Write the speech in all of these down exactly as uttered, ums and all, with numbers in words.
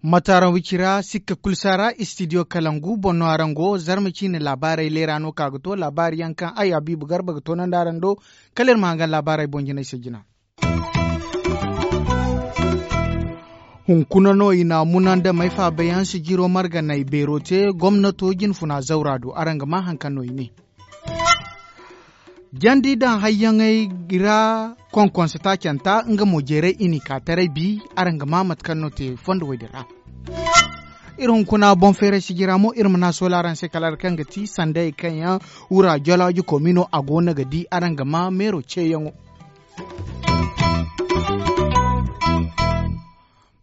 Mataaraŋ wicira sikka kulu saara istidiyo kalangu boŋ no araŋ go zarma ciine laabaarey leera no ka ga to laabaari yaŋ kaŋ ay habiibu garba ga toonandi araŋ do. Kala iri ma hangan laabaarey boŋ jinay se jina. Hunkuna no i na munandamey faabayaŋ sijiro marganey beero te gomnato jinfuna zawra do araŋ ga maa haŋ kaŋ no i ne. Jandi daŋ hayyaŋey ra konkonsa taacanta nga mo jeeray i n'i ka taray bi. Araŋ ga maa mate kaŋ no te fondo woy din ra. Iri hunkuna boŋ feeray sijira mo iri ma na soola araŋ se kala araŋ kaŋ ga ti sanday kaŋ yaŋ wura jolaaji komino a go no ga di araŋ ga maa meero ceeyaŋo.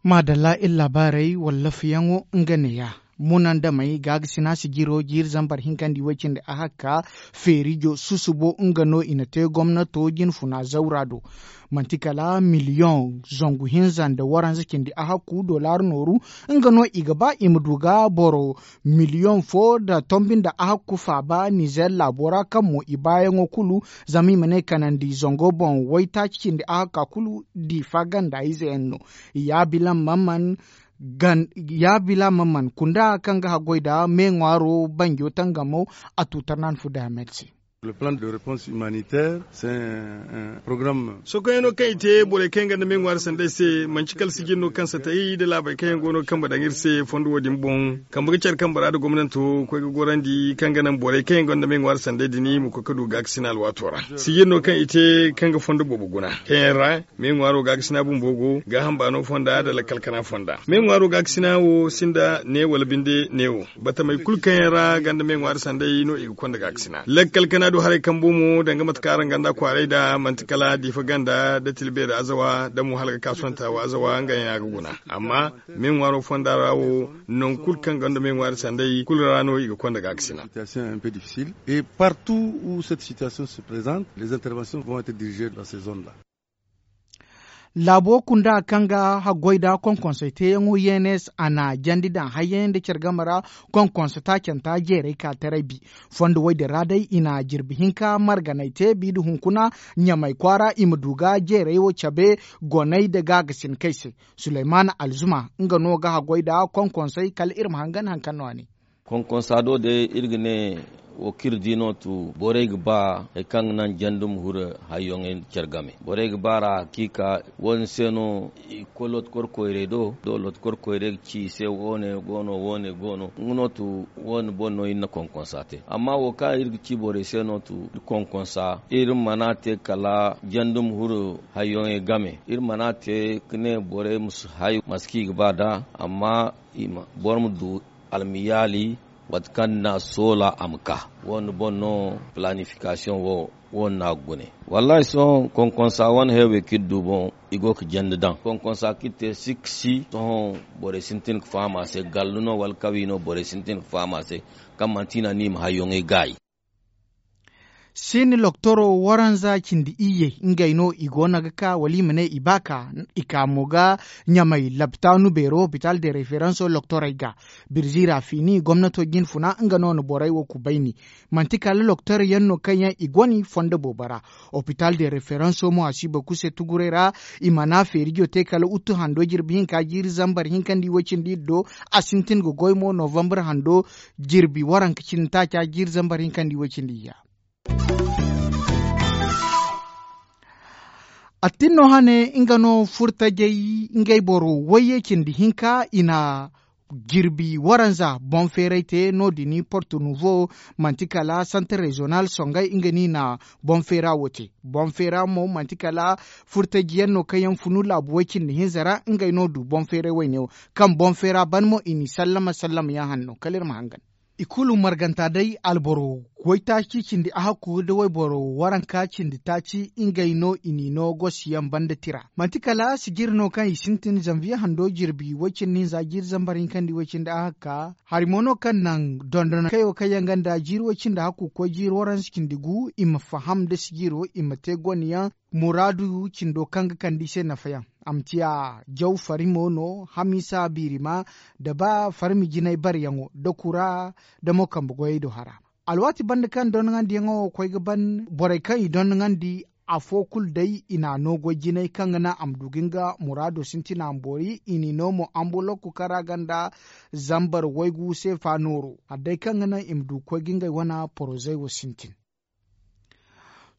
Maadalla iri laabaarey wallaafayaŋo nga neeya. Munandamey gaagasina sijiro jiiri zambar hinkandi way cindi ahakka feerijo susubo nga no i na te gomnato jinfuna zawra do. Manti kala miliyoŋ zangu hinza nda waranza cindi ahakku dollar nooru nga no i ga ba i ma du ga boro miliyoŋ fo nda tombi nda ahakku faaba nizer laabo ra kaŋ mo i baayaŋo kulu zama i ma ne kanandi zango boŋ waytaaci cindi ahakka kulu diifa ganda ize yaŋ no. Yaabilaŋ mamman kunda kaŋ ga haggoy nda me ŋwaaro banjo tangamo a tuutar na ni fu dayamed se. Sokoyaŋo kaŋ i te borey kaŋ yaŋ gonda me ŋwaari sanday se manci kala sijin no kaŋ satay nda laabey kaŋ yaŋ go no ga kambe daŋ iri se fondo wo- din boŋ. Kambe ga care kambe ra nda gomnanto koy ga gorandi kaŋ ga naŋ borey kaŋ yaŋ gonda me ŋwaari sanday din ma koy ga du gaakasina alwaato ra. Sijin no kaŋ i te kaŋ ga fondo boobo guna kaŋ yaŋ ra me ŋwaaro gaakasina bumbo go gaaham baano fonda nda lakkal kana fonda. Me ŋwaaro gaakasina wo sinda ne wala binde neewo. Batamey kulu kaŋ yaŋ ra ganda me ŋwaari sanday no i ga konda gaakasina lakkal kana du haray kambo mo danga mate kaŋ araŋ ganda kwaaray nda manti kala diifa ganda nda tilbe nda azawa nda mo hala ga ka sonta wa azawa nga yaŋ a ga guna. Amma me ŋwaaro fonda ra wo nangu kulu kaŋ ganda me ŋwaari sanday kulu ra no i ga konda gaakasina. Et partout où cette situation se présente, les interventions vont être dirigées dans ces zones là. Laabo kunda kaŋ ga haggoy nda konkonsey teeyaŋo yenes a na jandi daŋ hayyaŋ nda care game ra. Konkonse taacanta jeerey ka taray bi fondo woy din ra day i na jirbi hinka marganey te bi nda hunkuna ɲamey kwaara i ma du ga jeerey wo cabe goney nda gaagasin kay se. Suleymana alzuma nga no ga haggoy nda konkonsey kala iri ma hangan haŋ kaŋ no a ne. Konkonsa do day iri ga ne wo kaŋ iri di no tu borey ga ba hari kaŋ ga naŋ jandum hure hayyoŋey care game borey ga ba ra hakiika wo- din se no i ga koy looti kor koyrey do da looti kor koyrey ga ci i se wo- ne go no wo- ne go no nga no tu wo- din boŋ no iri na konkonsa te. Amma wo kaŋ iri ga ci borey se no tu iri konkonsa iri mana te kala jandum hure hayyoŋey game iri mana te ga ne borey ma si hay mate kaŋ i ga ba nd'a. Amma boro ma du almiyaali mate kaŋ na soola a ma ka wo- din boŋ no palaanifikasiyoŋ wo wo- din no a ga gune. Wallaahi sohõ konkonsa wane heewey kaŋ iri du boŋ i go ga jande daŋ konkonsa kaŋ iri te sikka si sohõ borey sintin ga faham a se gallu no wala kawi no borey sintin ga faham a se kaŋ manti i na ni i ma hayyoŋey gaayi. Siini loktoro waranza cindi iyye ngey no i go no ga ka wala i ma ne i ba ka i ka mo ga ɲamay laptaanu beero hopital de referanso loktorey ga birzi ra fiini gomnato jinfuna nga no na borey wo kubayni. Manti kala loktor yaŋ no kaŋ yaŋ i goni fondo boobo ra. Hopital de referanso mo a si ba kuse tuguray ra i mana feerijo te kala uttu hando jirbi hinka jiiri zambar hinka nda i way cindi iri do. A sintin ga goy mo novambar hando jirbi waranka cindi taaca jiiri zambar hinka nda i way cindi iyya. Attin no hane nga no furtajey ngey boro wayye cindi hinka i na jirbi waranza boŋ feeray te no- din porto nuvo. Manti kala santar rezonal songay nga no i na boŋ feera wo te. Boŋ feera mo manti kala furtajiyaŋ no kaŋ yaŋ funu laabu way cindi hinza ra ngey no du boŋ feeray wayne wo. Kaŋ boŋ feera ban mo i n'i sallama sallamayaŋ hanno kala iri ma hangan. I kulu marganta day alboro Waytaaci cindi ahakku nda wayboro waranka cindi taaci ngey no i n'i no gosiyaŋ banda tira. Manti kala sijiri no kaŋ i sintin zanviye hando jirbi way-cindi hinza jiiri zambar hinkandi way-cindi ahakka. Hari mo no kaŋ naŋ dondonkayo kaŋ yaŋ gonda jiiri way-cindi hakku ga koy jiiri waranza cindi gu i ma faham nda sijiro i ma te goneyaŋ muraadu cindo kaŋ ga kande i se nafayaŋ. A ma ciya jaw farimo no, hamiisa biirima, nda ba farmi jinay bareyaŋo nda kura nda mo kambe goyey do hara. Alwaati banda kaŋ dondoŋandiyaŋo koy ga ban borey kaŋ i dondoŋandi afo kulu day i n'a no goy jinay kaŋ ga naŋ a ma du ga nga muraado sintina ma boori i n'i no mo anbulokku kaŋ ra gonda zambar waygu seefa nooro hari day kaŋ ga naŋ i ma du ga koy ga ngey wane porozey wo sintin.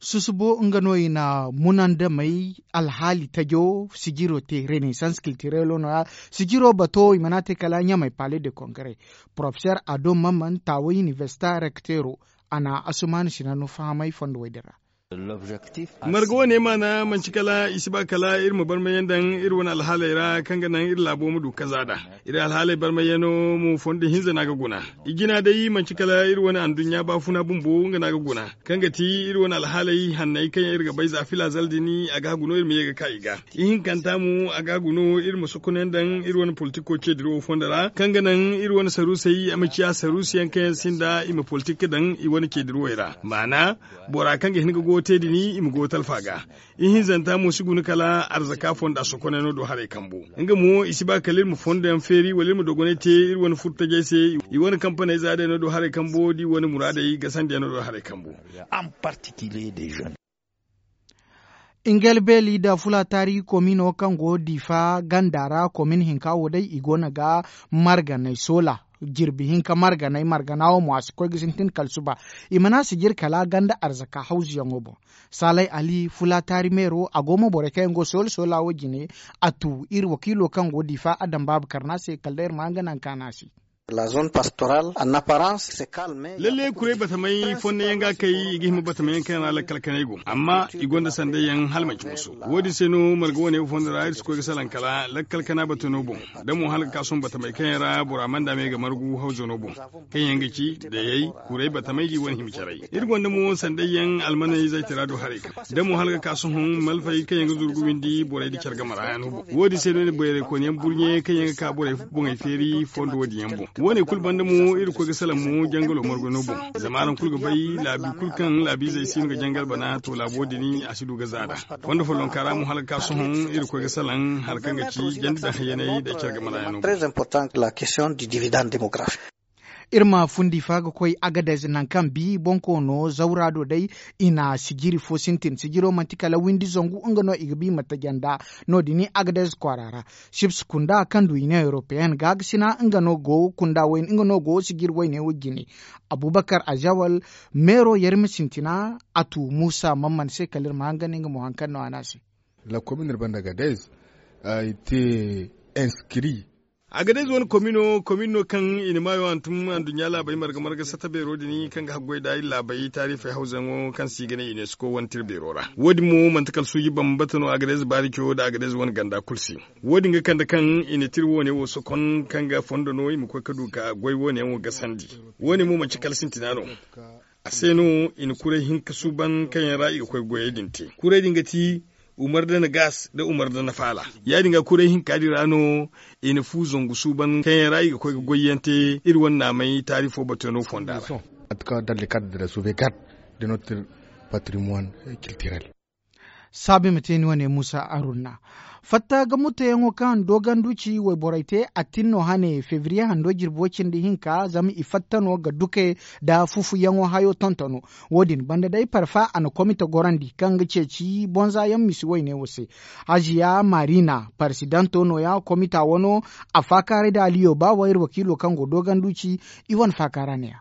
Susubo nga no i na munandamey alhaali tajo sijiro te renaissance culturelo no- ya. Sijiro bato i mana te kala ɲamey palais de congrès. Porofeser ado mamman taaway universita rekteero a na asumaani sinano fahamay fondo way din ra. Marga wane maana manci kala i si ba kala iri ma barmayaŋ daŋ iri wane alhaaley ra kaŋ ga naŋ iri laabo ma du kaza nd'a. Iri alhaaley barmayaŋo mo fondo hinza no a ga guna. I jina day manci kala iri wane anduɲɲa baafuna bumbo nga no a ga guna, kaŋ ga ti iri wane alhaaley hanney kaŋ yaŋ iri ga bay za fila zal din a ga hagu no iri ma ye ga ka i ga. Ihinkanta mo a ga hagu no iri ma sokonayaŋ daŋ iri wane politiko ceediro wo fondo ra kaŋ ga naŋ iri wane saruusey a ma ciya saruusiyaŋ kaŋ yaŋ sinda i ma politik daŋ i wane ceedirawey ra. Maana, bora kaŋ ga hin ga goyo te din i ma goyo talfa ga. Ihinzanta mo si guna kala arzaka fonda sokonay no do haray kambo. Nga mo i si ba kala iri ma fondoyaŋ feeri wala iri ma dogonay te iri wane furtajey se. I wane kampaney za day no do haray kambo da i wane muraadey gasandiyaŋ no do haray kambo. Ingel beeli nda fula taari komino kaŋ go diifa ganda ra komin hinka wo day i go no ga marganay soola. Jirbi hinka marganay margana wo mo a si koy ga sintin kala suba. I mana sijir kala ganda arzaka hawzuyaŋo boŋ. Saalay ali fula taari meero a go mo borey kaŋ yaŋ go soola soola wo jine. A tu iri wakiilo kaŋ go diifa adam baaba karna se kala day iri ma nga naŋ kaana se. Lalle kuray batamey fonda yaŋ ga kay i ga hima batamey yaŋ kaŋ yaŋ ra lakkal kanay go amma i gonda sanday yaŋ hala manci musu. Wo- din se no marga wane fonda ra iri si koy ga salaŋ kala lakkal kana batano boŋ, da mo hala ga ka sohõ batamey kaŋ yaŋ ra bora mana daama i ga margu hawzo no boŋ, kaŋ yaŋ ga ci dayey, kuray batamey da i wane hima caray. Iri gonda mo sanday yaŋ almaney zaytara do haray kaŋ da mo hala ga ka sohõ malfey kaŋ yaŋ ga zuru ga windi borey da care game ra yaŋ no boŋ. Wo- din se no iri bayray koyne yaŋ burɲe kaŋ yaŋ ga ka borey boŋey feeri fondo wo- din yaŋ boŋ. Wo- ne kulu banda mo iri ga koy ga salaŋ mo jangalo margano boŋ. Zama araŋ kulu ga bay laabi kulu kaŋ laabiizey si no ga jangal bana to laabo din a si du ga za nd'a. Fondo follonka ra mo hala ga ka sohõ iri ga koy ga salaŋ hari kaŋ ga ci jandi daŋ hayyaney da care game ra yaŋ no boŋ. Iri ma fundi fa ga koy agadez nangu kaŋ bi bonkoono zawra do day. I na sijiri fo sintin sijiro manti kala windi zangu nga no i ga bi ma taja nd'a. No- din agadez kwaara ra. Sips kunda kaŋ du i ne european gaagasina nga no go kunda wayne nga no go sijiri wayne wo jine. Abubakar azawal meero yarima sintina a tu muusa mamman se kala iri ma hangan nga mo hari kaŋ no a ne a se. La komin iri banda agadez i te inskiri. Agadez wane komino komin no kaŋ i na maayo hantum anduɲɲa laabey marga marga sata beero din kaŋ ga haggoy da iri laabey taarifey hawzayaŋo kaŋ se i ga ne unesco wane tira beero ra. Wo- din mo manti kala suuji bambata no agadez baarico nda agadez wane ganda kulu se. Wo- din ga kande kaŋ i na tira woone wo sokon kaŋ ga fondo no i ma koy ga du ga goy woone yaŋ wo gasandi. Wo- ne mo manci kala sintina no. A se no i na kuray hinka suuban kaŋ yaŋ ra i ga koy goyey din te. Kuray din ga ti umar da na gaas nda umar da na faala. Ya- din ga kuray hinka din ra no i na fu zangu suuban kaŋ yaŋ ra i ga koy ga goyyaŋ te iri wane naamey taarifo batano fonda ra. Mate kaŋ dans le cadre de la sauvegarde de notre patrimoine culturel. Saabu i ma te ni wane muusa arunna. Fatta ga mutayaŋo kaŋ doganduci wayborey te a tin no hane febriye hando jirbi way-cindi hinka zama i fatta no ga duke nda fufuyaŋo hayo tontono. Wo- din banda day parfa a na komite gorandi kaŋ ga ceeci bonza yaŋ misi wayne wo se. Haziya marina paresidanto no- ya komita wano. A faakaaray da aliyo ba wayra wakiilo kaŋ go doganduci. I wane faakaara ne- ya.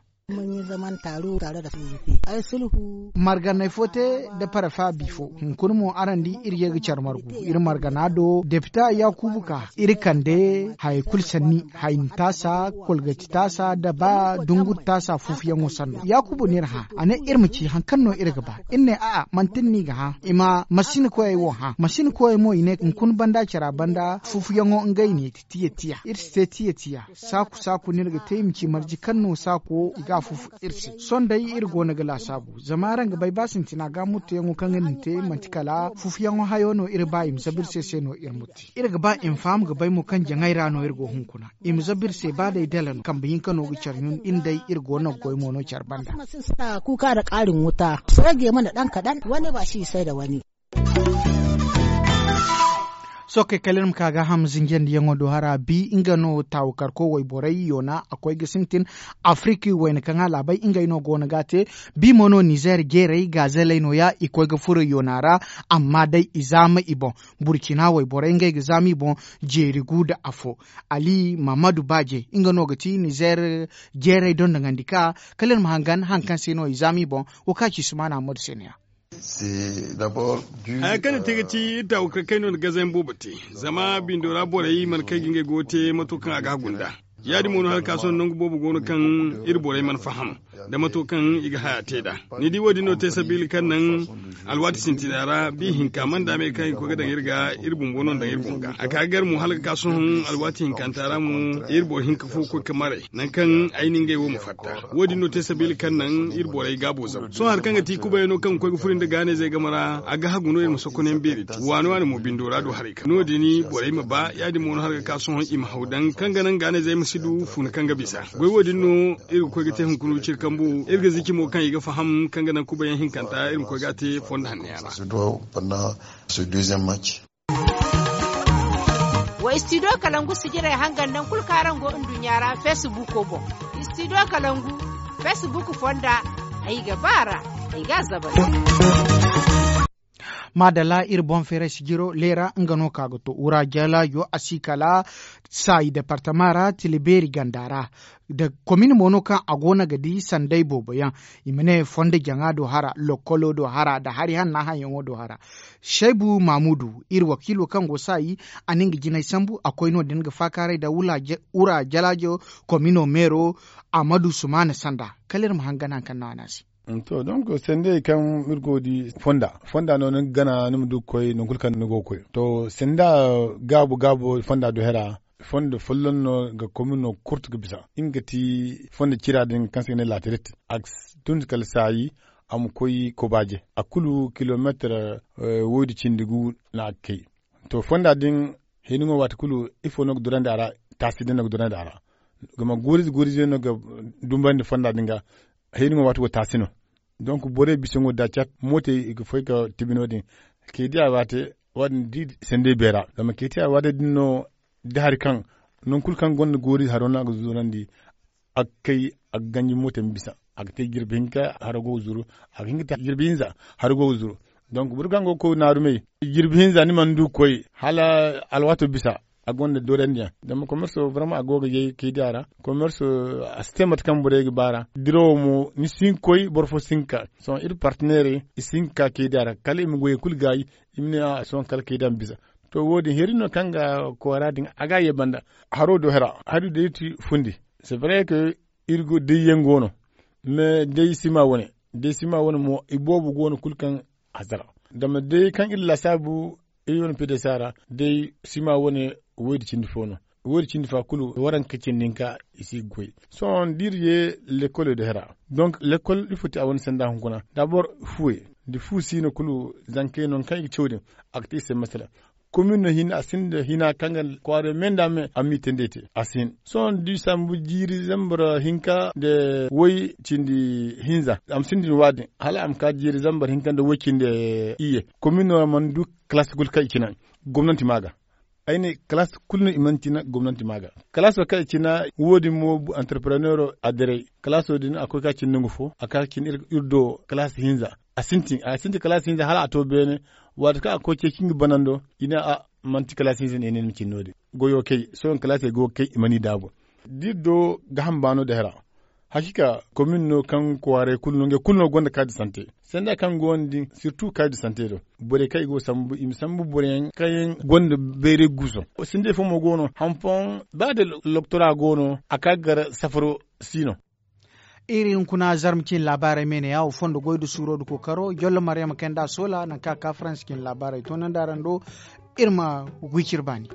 Marganey fo te nda parafa bifo hunkuna mo araŋ di iri ye ga care margu iri margana do depita yaakubu ka iri kande hayey kulu sanni haynitaasa kolgatitaasa nda ba dungurtaasa fufuyaŋo sanno yaakubu no iri hã. A ne iri ma ci hari kaŋ no iri ga ba iri ne a'a manti ni no i ga hã i ma masinkoyey wo hã masinkoyey mo i ne hunkuna banda cara banda fufuyaŋo ngey ne ti tiya tiya iri si te tiya tiya saaku saaku no iri ga te i ma ci marje kaŋ no saako i ga. a fufu iri se. Sohõ day iri go no ga laasaabu zama araŋ ga bay ba sintina ga muttuyaŋo kaŋ iri na te manti kala fufuyaŋo hayo no iri ba i ma zabu iri se se no iri mutti. Iri ga ba i ma faham ga bay mo kaŋ jaŋay ra no iri go hunkuna. I ma zabu iri se ba day dala no kambe hinka no ga care ɲun iri day iri go no ga goy mo no care banda. Kuka da kaarin wuta sooje mana daŋ kadan wane ba si sai da wani. Sohõ kay kala iri ma ka gaaham zinjandiyaŋo do hara bi nga no taawu karko wayborey yoona a koy ga sintin. Afiriki wayna kaŋ a laabay ngey no go no ga a te. Bi mo no nizer jeerey gaazeley nooya i koy ga furo yoona ra. Amma day i zaama i boŋ burcina wayborey ngey ga zaama i boŋ. Jeeri gu nda afo ali mahamadu baaje nga no ga ti nizer jeerey dondoŋandi ka kala iri ma hangan hari kaŋ se no i zaama i boŋ. Wo kaŋ a ci sumaana hammadu se no- ya. Haya kaŋ ni te ga ti iri taawu kaŋ kayno nda gazayaŋ boobo te. Zama bindo ra borey mana kay ga ngey goyo te mato kaŋ a ga hagu nd'a. Ya- din mo no hala ka sohõ nangu boobo go no kaŋ iri borey mana faham nda mato kaŋ i ga haya te nd'a. Ni di wo- din no te sabiila kaŋ naŋ alwaati sintina ra bi hinka mana daamey kaŋ i ga koy ga daŋ iri ga iri bumbo no nda daŋ iri boŋ ga a ka ga gar mo hala ga ka sohõ alwaati hinkanta ra mo iri boro hinka fo koy ga maray nangu kaŋ ay na ngey wo ma fatta. Wo- din no te sabiila kaŋ naŋ iri borey gaabo zaw sohõ hari kaŋ ga ti kubayano kaŋ ga koy ga furo nda gaanayzey game ra a ga hagu no iri ma sokonyaŋ beeri te waani waani mo bindo ra du haray kaŋ no- din borey ma ba ya- din mo no hala ga ka sohõ i ma haw daŋ kaŋ ga naŋ gaanayzey ma si du funa kaŋ ga bisa. Goy wo- din no iri ga koy ga te hunkuna wiciri kambu iri ga zici mo kaŋ i ga faham kaŋ ga naŋ kubayaŋ hinkanta iri ma koy ga a te fondo hanno yaŋ ra. Wa istidiyo kalangu sijirey hangan naŋ kulu kaŋ araŋ go nduɲɲa ra feesibuko boŋ. Istidiyo kalangu feesibuku fonda ay ga ba a ra. Ay ga a zabal. Maadalla iri boŋ feeray sijiro leera nga no ka ga to wura jalaajo a si kala saayi departama ra tila beeri ganda ra. Komin mo no kaŋ a go no ga di sanday boobo yaŋ. I ma ne fondo jaŋa do hara lokkolo do hara nda hari hanna haŋyaŋo do hara. Saybu mamudu iri wakiilo kaŋ go saayi a na nga jinay sambu a koy no- din ga faakaaray nda wura jalaajo komino meero. Amadu sumaana sanda kala iri ma hangan hari kaŋ no a ne a se. To donc sendey kaŋ iri go ga di fonda fonda no ni ga gana ni ma du ga koy nangu kulu kaŋ ni go ga koy to senda gaabu gaabu fonda do hera. Fondo folloŋ no ga komino kurtu ga bisa nga ga ti fondo cira din kaŋ se i ga ne laatiret. A ga tun kala saayi a ma koy kobaaje a kulu kilomeetar woy da cindi gu no a ga kay. To fonda din hiniŋo waati kulu ifo no ga durandi a ra? Taasi din no ga durandi a ra. Zama guuriize guuriize no ga dumbandi fonda din ga. Hiniŋo waati wo taasi no. Donc borey bisaŋo da cat mootey i ga foy ga tibi no- din. Kay di a waate. Waati din di sendey beera zama kay ti a waate din no da hari kaŋ nangu kulu kaŋ gonda goori haro no a ga zurandi. A ga kay a ga ganji mootey ma bisa a ga te jirbi hinka haro go ga zuru. A ga hin ga te jirbi hinza haro go ga zuru. Donc boro kaŋ go ga koy naarumey jirbi hinza ni mana du ga koy hala alwaato bisa. A gonda doorandi yaŋ zama komerso barama a go ga yay kay di a ra. Komerso a si te mate kaŋ borey ga ba ra dirawo mo ni si hin ga koy boro fo si hin ga ka. Sohõ iri parteneerey i si hin ga ka kay di a ra kala i ma goyey kulu gaayi. I ma ne a sohõ kala kay di a ma bisa. To wo- din heri no kaŋ ga koora din a ga a ye banda. Haro do hera hari day ti fundi. C'est vrai que iri go day yaŋ go no. Mais day sima wane day sima wane mo i boobo go no kulu kaŋ hasara. Zama day kaŋ iri laasaabu iri wane pidesa ra day sima wane woy da cindi fo no. Woy da cindi fa kulu waranka cindi hinka i si ga goy. Sohõ da iri ye lekkolo do hera donc lekkol ifo ti a wane sanda hunkuna dabor fuwey da fu si no kulu zankey no kaŋ i ga caw din. A ga te i se masala. Komin no hinne a sinda hina kaŋ ga kwaaro me nda me a ma i tendey te a si hin. Sohõ da i sambu jiiri zambar hinka nda woy cindi hinza a ma sinda ni waadin hala a ma ka jiiri zambar hinka nda woy cindi iyye. Komin no mana du kalaasi kulu kaŋ i cina gomnanti ma ga. Ay ne kalaasi kulu no i mana cina gomnanti ma ga. Kalaaso kaŋ i cina wo- din mo antarpreneero a diray kalaaso din a koy ka cindi nangu fo a ka cindi iri do kalaasi hinza. A sintin a sintin kalaasi hinza hala a to beene. Waati kaŋ a koy ceeci nga banando i ne a manti kalaasi hinza no i ne ni ma cindi no- din. Goyo kay sohõ kalaasey go ga kay i mana i daabu. Da iri do gaaham baano da hera. Hakiika komin no kaŋ kwaaray kulu no ngey kulu no gonda kaadi sante. Sanda kaŋ go no din sirtu kaadi sante do borey kaŋ i go ga sambu i ma sambu boroyaŋ kaŋ yaŋ gonda bayray guuso. Sindey fo mo go no haŋ fooyaŋ ba da loktora go no a ka ga gar safaro si no. Iri hunkuna zarma cine laabaarey me ne ya wo fondo goy nda suuro nda kookaro jollo mariyama kay nda a soola nangu kaŋ a ka faransa cine laabaarey toonandi araŋ do. Iri ma gu iri cire baani.